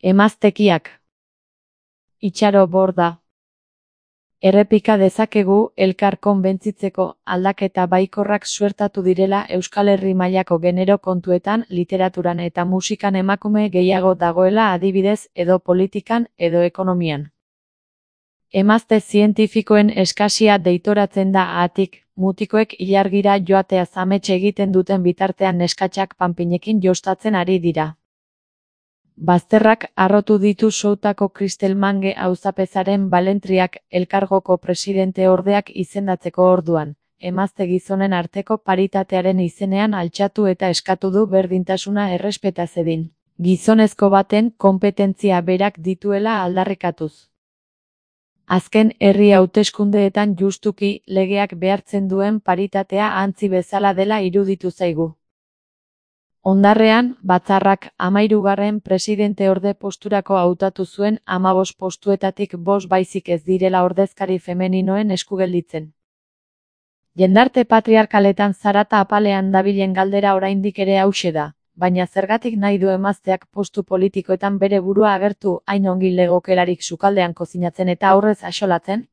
Emaztekiak. Itxaro borda. Errepika dezakegu elkar konbentzitzeko aldaketa baikorrak suertatu direla Euskal Herri mailako genero kontuetan, literaturan eta musikan emakume gehiago dagoela adibidez, edo politikan, edo ekonomian. Emazte zientifikoen eskasia deitoratzen da haatik, mutikoek ilargira joatea amets egiten duten bitartean neskatxak panpinekin jostatzen ari dira. Bazterrak harrotu ditu Soutako Kristel Mange auzapezaren balentriak elkargoko presidente ordeak izendatzeko orduan, emazte gizonen arteko paritatearen izenean altxatu eta eskatu du berdintasuna errespeta zedin, gizonezko baten konpetentzia berak dituela aldarrikatuz. Azken herri hauteskundeetan justuki legeak behartzen duen paritatea antzi bezala dela iruditu zaigu. Ondarrean, batzarrak 13. presidenteorde posturako hautatu zuen 15 postuetatik 5 baizik ez direla ordezkari femeninoen esku gelditzen. Jendarte patriarkaletan zarata apalean dabilen galdera oraindik ere hauxe da, baina zergatik nahi du emazteak postu politikoetan bere burua agertu hain ongi legokelarik sukaldean kozinatzen eta aurrez axolatzen?